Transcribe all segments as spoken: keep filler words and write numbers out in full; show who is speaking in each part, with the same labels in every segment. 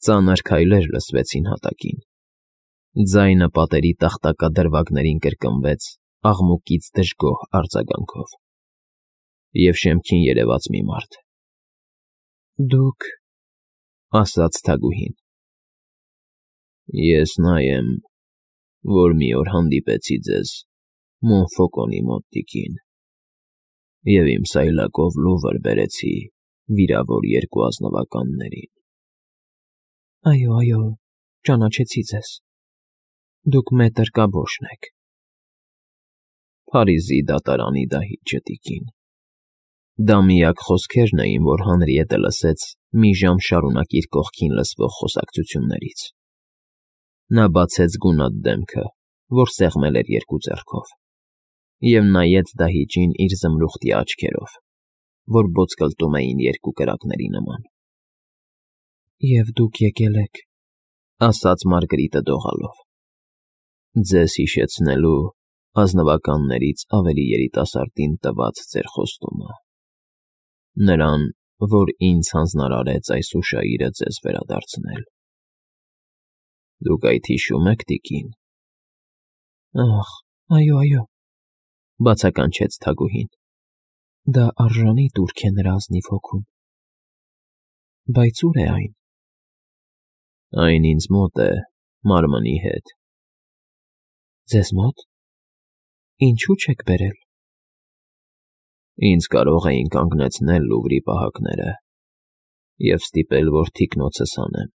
Speaker 1: Ծանր քայլեր լսվեցին հատակին։ Ձայնը պատերի տախտակադրվագներին կրկնվեց աղմուկից դժգոհ արձագանքով։ Եվ շեմքին երևաց մի մարդ։ «Դուք…֊ ասաց թագուհին։ «Ես նա եմ, որ մի օր հանդիպեցի ձեզ Մոնֆոկոնի մոտ, տիկին, և իմ սայլակով լուվր բերեցի վիրավոր երկու ազնվականներին»։ «Այո, այո, ճանաչեցի ձեզ, դուք մետր Կաբոշն եք»։ «Փարիզի դատարանի դահիճը, տիկին»։ Դա միակ խոսքերն էին, որ Հանրիետը լսեց մի ժամ շարունակ իր կողքին լսվող խոսակցություններից։ Նա բացեց գունատ դեմքը, որ սեղմել էր երկու ձեռքով, և նայեց դահիճին իր զմրուխտյա աչքերով, որ ոսկլտում էին երկու կրակների նման։ «Եվ դուք եկել եք…֊ ասաց Մարգարիտը դողալով…֊ ձեզ հիշեցնելու ազնվականներից ավելի երիտասարդին տված ձեր խոստումը, նրան, որ ինձ հանձնարարեց այս հուշագիրը ձեզ վերադարձնել։ Դուք այդ հիշո՞ւմ եք, տիկին»։ «Ախ, այո, այո…֊ բացականչեց թագուհին։ Դա արժանի տուրք է նրա ազնիվ հոգուն։ Բայց ո՞ւր է այն»։ «Այն ինձ մոտ է, մարմնի հետ»։ «Ձեզ մոտ… Ինչո՞ւ չեք բերել»։ «Ինձ կարող էին կանգնեցնել Լուվրի պահակները և ստիպել, որ թիկնոցս հանեմ։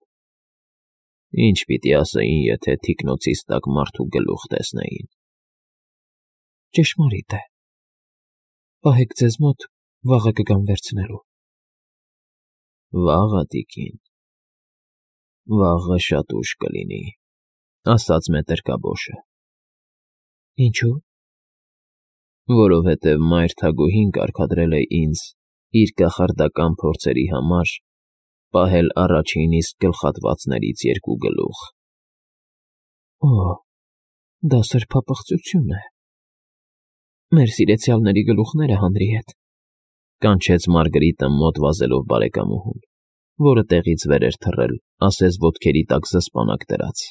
Speaker 1: Ինչ պիտի ասեին, եթե թիկնոցիս տակ մարդու գլուխ տեսնեին»։ «Ճշմարիտ է… Պահեք ձեզ մոտ, վաղը կգամ վերցնելու»։ «Վաղը, տիկին, վաղը շատ ուշ կլինի», ասաց մետր Կաբոշը։ «Ինչո՞ւ»։ «Որովհետև մայր թագուհին կարգադրել է ինձ իր կախարդական փորձերի համար պահել առաջին իսկ գլխատվածներից երկու գլուխ»։ «Օ՜, դա սրբապղծություն է… Մեր սիրեցյալների գլուխները, Հանրիետ», կանչեց Մարգարիտը մոտ վազելով բարեկամուհուն, որը տեղից վեր էր թռել, ասես ոտքերի տակ զսպանակ դրած։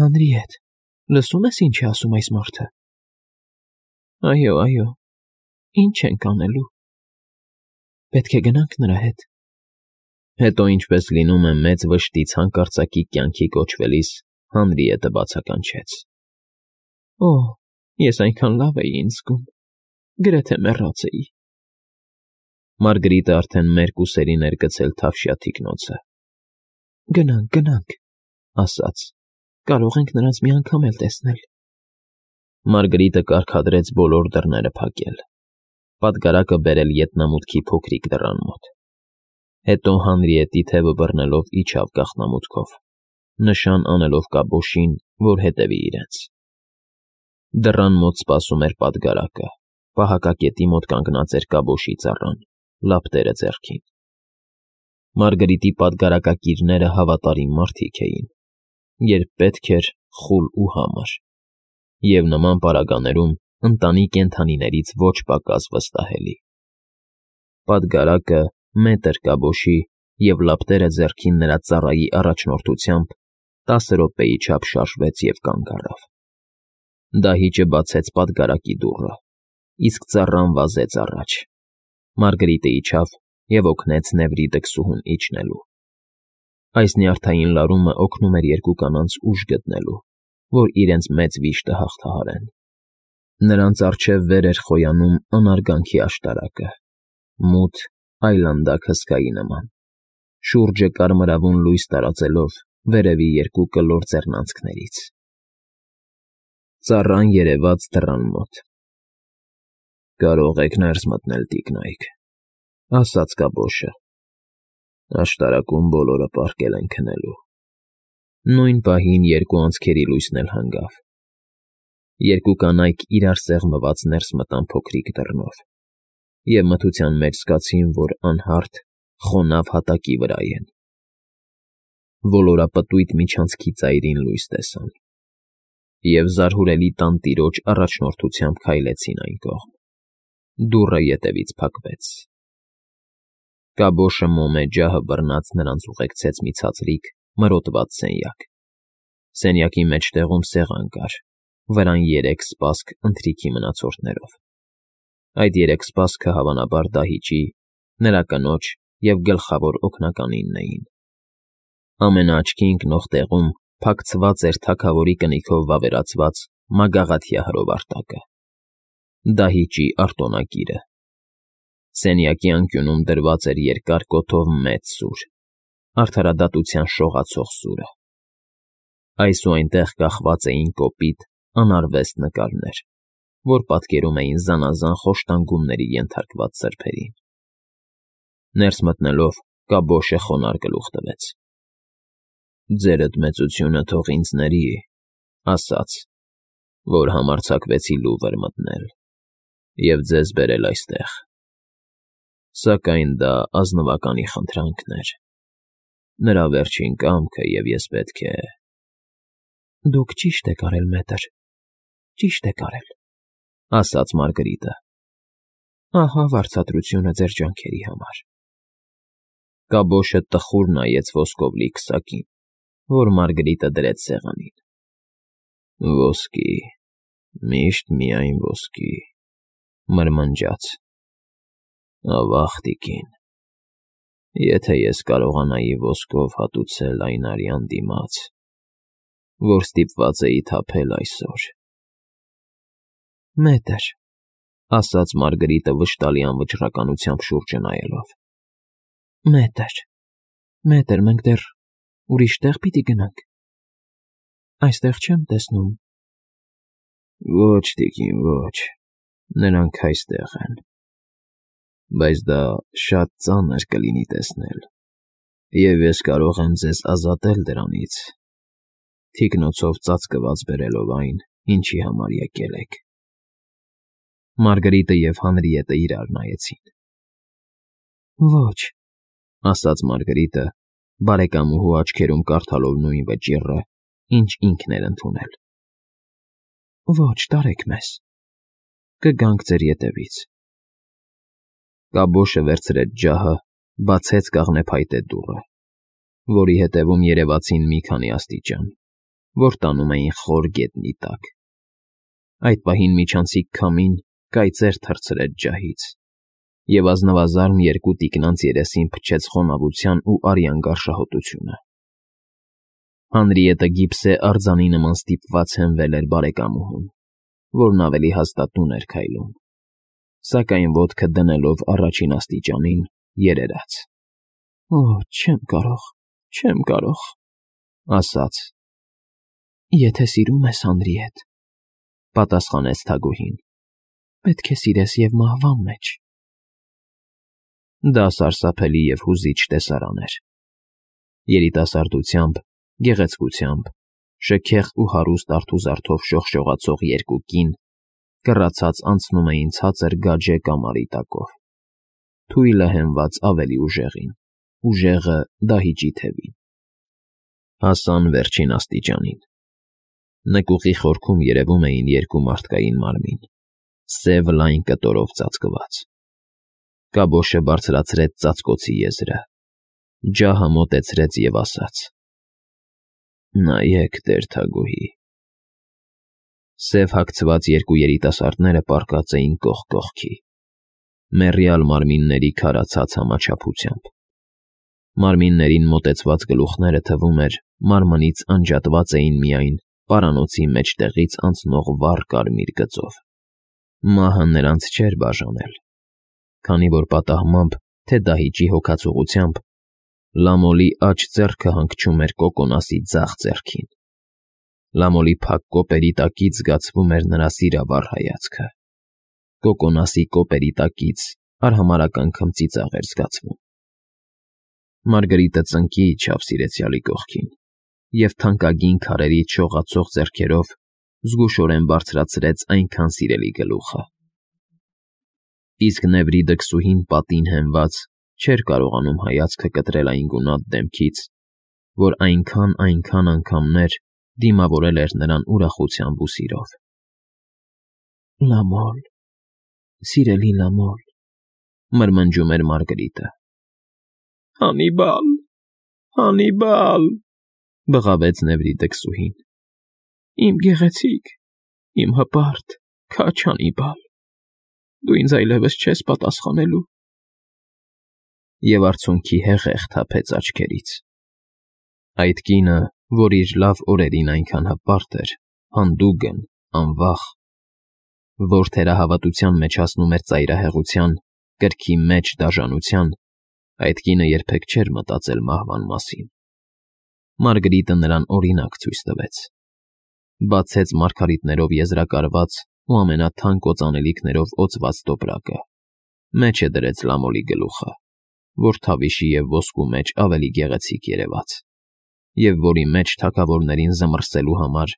Speaker 1: «Հանրիետ, լսո՞ւմ ես, ինչ է ասում այս մարդը»։ «Այո, այո, ի՞նչ ենք անելու»։ «Պետք է գնանք նրա հետ»։ Հետո, ինչպես լինում է մեծ վշտից հանկարծակի կյանքի կոչվելիս, Հանրիետը բացականչեց. «Օ՜, ես այնքան լավ էի ինձ զգում, գրեթե մեռած էի»։ Մարգարիտը արդեն մերկ ուսերին էր գցել թավշյա թիկնոցը։ «Գնանք, գնանք», ասաց, «կարող ենք նրանց մի անգամ էլ տեսնել»։ Մարգարիտը կարգադրեց բոլոր դռները փակել, պատգարակը բերել ետնամուտքի փոքրիկ դռան մոտ։ Հետո Հանրիետի թևը բռնելով իջավ գաղտնամուտքով, նշան անելով Կաբոշին, որ հետևի իրենց։ Դռան մոտ սպասում էր պատգարակը, պահակակետի մոտ կանգնած էր Կաբոշի ծառան, լապտերը ձեռքին։ Մարգարիտի պատգարակակիրները հավատարիմ մարդիկ էին, երբ պետք էր խուլ ու համր, և նման պարագաներում ընտանի կենդանիներից ոչ պակաս վստահելի։ Պատգարակը մետր Կաբոշի և լապտերը ձեռքին նրա ծառայի առաջնորդությամբ տասը րոպեի չափ շարժվեց և կանգ առավ։ Դահիճը բացեց պատգարակի դուռը, իսկ ծառան վազեց առաջ։ Մարգարիտը իջավ և օգնեց Նեվրի դքսուհուն իջնելու։ Այս նյարդային լարումը օգնում էր երկու կանանց ուժ գտնելու, որ իրենց մեծ վիշտը հաղթահարեն։ Նրանց առջև վեր էր խոյանում անարգանքի աշտարակը, մութ, այլանդակ հսկայի նման, շուրջը կարմրավուն լույս տարածելով վերևի երկու կլոր ձեռնանցքներից։ Ծառան երևաց դռան մոտ։ «Կարող եք ներս մտնել, տիկնայք», ասաց Կաբոշը։ «Աշտարակում բոլորը պառկել են քնելու»։ Նույն պահին երկու անցքերի լույսն էլ հանգավ։ Երկու կանայք իրար սեղմված ներս մտան փոքրիկ դռնով և մթության մեջ զգացին, որ անհարթ, խոնավ հատակի վրա են։ Ոլորապտույտ միջանցքի ծայրին լույս տեսան և զարհուրելի տանտիրոջ առաջնորդությամբ քայլեցին այն կողմ։ Դուռը ետևից փակվեց։ Կաբոշը մոմե ջահը բռնած նրանց ուղեկցեց մի ցածրիկ, մրոտված սենյակ։ Սենյակի մեջտեղում սեղան կար, վրան երեք սպասք ընթրիքի մնացորդներով։ Այդ երեք սպասքը հավանաբար դահիճի, նրա կնոջ և գլխավոր օգնականինն էին։ Ամենաաչքի ընկնող տեղում փակցված էր թագավորի կնիքով վավերացված մագաղաթյա հրովարտակը՝ դահիճի արտոնակիրը։ Սենյակի անկյունում դրված էր երկար կոթով մեծ սուր, արդարադատության շողացող սուրը։ Այս ու այնտեղ կախված էին կոպիտ, անարվեստ նկարներ, որ պատկերում էին զանազան խոշտանգումների ենթարկված սրբերին։ Ներս մտնելով՝ կաբոշը խոնարհ գլուխ տվեց։ ֊ Ձերդ մեծությունը թող ինձ ների, ասաց, որ համարձակվեցի Լուվր մտնել և ձեզ բերել այստեղ, սակայն դա ազնվականի խնդրանքն էր, նրա վերջին կամքը, և ես պետք է… ֊ Դուք ճիշտ եք արել, մետր, ճիշտ եք արել, ֊ ասաց Մարգարիտը։ Ահա վարձատրությունը ձեր ջանքերի համար։ Կաբոշը տխուր նայեց ոսկով լի քսակին, որ Մարգարիտը դրեց սեղանին։ ֊ Ոսկի, միշտ միայն ոսկի, ֊ մրմնջաց։ ֊ Ավա՜ղ, տիկին, եթե ես կարողանայի ոսկով հատուցել այն արյան դիմաց, որ ստիպված էի թափել այսօր… ֊ Մետր, ֊ ասաց Մարգարիտը վշտալի անվճռականությամբ շուրջը նայելով, ֊ մետր, մետր, մենք դեռ ուրիշ տեղ պիտի գնանք… Այստեղ չեմ տեսնում… ֊ Ոչ, տիկին, ոչ, նրանք այստեղ են… Բայց դա շատ ծանր կլինի տեսնել, և ես կարող եմ ձեզ ազատել դրանից, թիկնոցով ծածկված բերելով այն, ինչի համար եկել եք… Մարգարիտը և Հանրիետը իրար նայեցին։ ֊ Ոչ, ֊ ասաց Մարգարիտը, բարեկամուհու աչքերում կարդալով նույն վճիռը, ինչ ինքն էր ընդունել։ ֊ Ոչ, տարեք մեզ… Կգանք ձեր ետևից… Կաբոշը վերցրեց ջահը, բացեց կաղնեփայտե դուռը, որի ետևում երևացին մի քանի աստիճան, որ տանում էին խոր գետնի տակ։ Այդ պահին միջանցիկ քամին կայծեր թռցրեց ջահից, և ազնվազարմ երկու տիկնանց երեսին փչեց խոնավության ու արյան գարշահոտությունը։ Հանրիետը գիպսե արձանի նման ստիպված հենվել էր բարեկամուհուն, որն ավելի հաստատուն էր քայլում, սակայն ոտքը դնելով առաջին աստիճանին, երերաց։ ֊ Օ՜, չեմ կարող, չեմ կարող, ֊ ասաց։ ֊ Եթե սիրում ես, Հանրիետ, ֊ պատասխանեց թագուհին, ֊ պետք է սիրես և մահվան մեջ… Դա սարսափելի և հուզիչ տեսարան էր։ Երիտասարդությամբ, գեղեցկությամբ, շքեղ ու հարուստ արթուզարդով շողշողացող երկու կին կռացած անցնում էին ցածր գաջե կամարի տակով, թույլը հենված ավելի ուժեղին, ուժեղը դահիճի թևին։ Հասան վերջին աստիճանին։ Նկուղի խորքում երևում էին երկու մարդկային մարմին, սև լայն կտորով ծածկված։ Կաբոշը բարձրացրեց ծածկոցի եզրը, ջահը մոտեցրեց և ասաց. ֊ Նայեք, տեր թագուհի… Սև հագցված երկու երիտասարդները պառկած էին կողք կողքի, մեռյալ մարմինների քարացած համաչափությամբ։ Մարմիններին մոտեցված գլուխները, թվում էր, մարմնից անջատված էին միայն պարանոցի մեջտեղից անցնող վառ կարմիր գծով։ Մահը նրանց չէր բաժանել, քանի որ պատահմամբ թե դահիճի հոգացողությամբ Լամոլի աջ ձեռքը հանգչում էր Կոկոնասի ձախ ձեռքին։ Լամոլի փակ կոպերի տակից զգացվում էր նրա սիրավառ հայացքը, Կոկոնասի կոպերի տակից արհամարհական քմծիծաղ էր զգացվում։ Մարգարիտը ծնկի իջավ սիրեցյալի կողքին և թանկագին քարերից շողացող ձեռքերով զգուշորեն բարձրացրեց այնքան սիրելի գլուխը։ Իսկ Նեվրիդը քսուհին պատին հենված չէր կարողանում հայացքը կտրել այն գունատ դեմքից, որ այնքան, այնքան անգամներ դիմավորել էր նրան ուրախությամբ ու սիրով։ ֊ Լամոլ, սիրելի Լամոլ, ֊ մրմնջում էր Մարգարիտը, Հանիբալ, Հանիբալ, բղավեց Նևրիտը քսուհին։ Իմ գեղեցիկ, իմ հպարտ, քաջ Հանիբալ, դու ինձ այլևս չես պատասխանելու։ Եվ արցունքի հեղեղ թափեց աչքերից։ Այդ կինը, որ իր լավ օրերին այնքան հպարտ էր, հանդուգն, անվախ, որ թերահավատության մեջ հասնում էր ծայրահեղության, կրքի մեջ դաժանության, այդ կինը երբեք չէր մտածել մահվան մասին։ Մարգրիտը նրան օրինակ ցույց տվեց։ Բացեց մարգարիտներով եզրակարված ու ամենաթանկ օծանելիքներով օծված տոպրակը, մեջը դրեց լամոլի գլուխը, որ թավիշի և ոսկու մեջ ավելի գեղեցիկ երևաց, և որի մեջ թագավորներին զմռսելու համար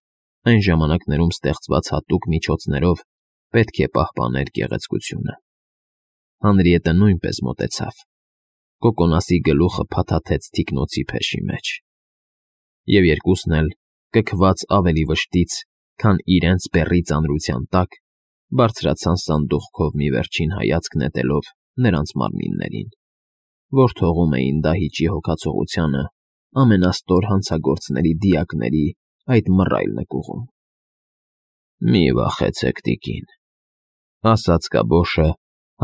Speaker 1: այն ժամանակներում ստեղծված հատուկ միջոցներով պետք է պահպաներ գեղեցկությունը։ Հանրիետը նույնպես մոտեցավ, կոկոնասի գլուխը փաթաթեց թիկնոցի փեշի մեջ, և երկուսն էլ, կքված ավելի վշտից, քան իրենց բեռի ծանրության տակ, բարձրացան սանդուղքով մի վերջին հայացք նետելով նրանց մարմիններին, որ թողում էին դահիճի հոգացողությանը ամենաստոր հանցագործների դիակների այդ մռայլ նկուղում։ Մի վախեցեք, տիկին, ասաց կաբոշը,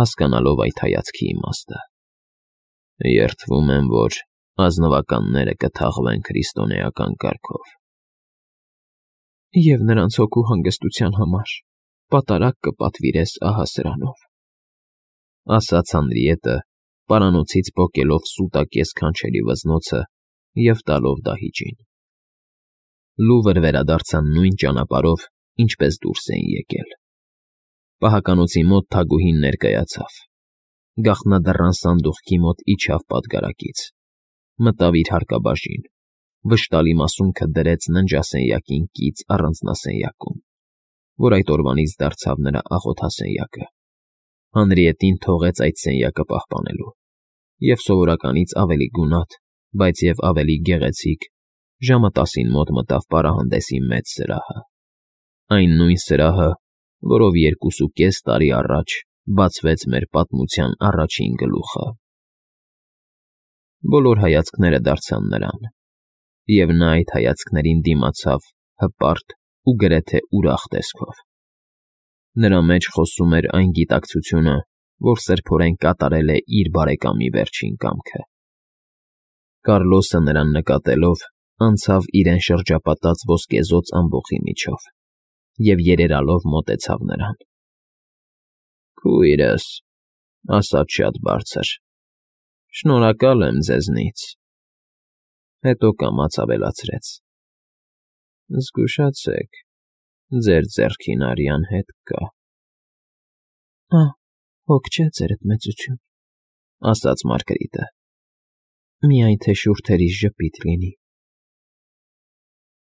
Speaker 1: հասկանալով այդ հայացքի իմաստը։ Երդվում եմ, որ ազնվականները կթաղվեն քրիստոնեական կարգով։ Եվ նրանց հոգու հանգստության համար պատարագ կպատվիրես ահա սրանով, ասաց Հանրիետը, պարանոցից պոկելով սուտակես քանչելի վզնոցը և տալով դահիճին։ Լուվր վերադարձան նույն ճանապարհով, ինչպես դուրս էին եկել։ Պահականոցի մոտ թագուհին ներկայացավ։ Գաղտնադռան սանդուղքի մոտ իջավ պատգարակից, մտավ իր հարկաբաժին, վշտալի մասունքը դրեց ննջասենյակին կից առանձնասենյակում, որ այդ օրվանից դարձավ նրա աղոթասենյակը։ Հանրիետին թողեց այդ սենյակը պահպանելու, և սովորականից ավելի գունատ, բայց և ավելի գեղեցիկ, ժամը տասին մոտ մտավ պարահանդեսի մեծ սրահը, այն նույն սրահը, որով երկուսուկես տարի առաջ բացվեց մեր պատմության առաջին գլուխը։ Բոլոր հայացքները դարձան նրան, և նա այդ հայացքներին դիմացավ հպարտ ու գրեթե ուրախ տեսքով։ Նրա մեջ խոսում էր այն գիտակցությունը, որ սրբորեն կատարել է իր բարեկամի վերջին կամքը։ Կառլոսը նրան նկատելով անցավ իրեն շրջապատած ոսկեզօծ ամբոխի միջով և երերալով մոտեցավ նրան։ Քույրս, ասաց շատ բարձր, շնորհակալ եմ ձեզնից, հետո կամաց ավելացրեց. Զգուշացեք, ձեր ձեռքին արյան հետ կա։ Ա՛, հոգ չէ, ձերդ մեծություն, ասաց Մարգարիտը, միայն թե շուրթերիս ժպիտ լինի։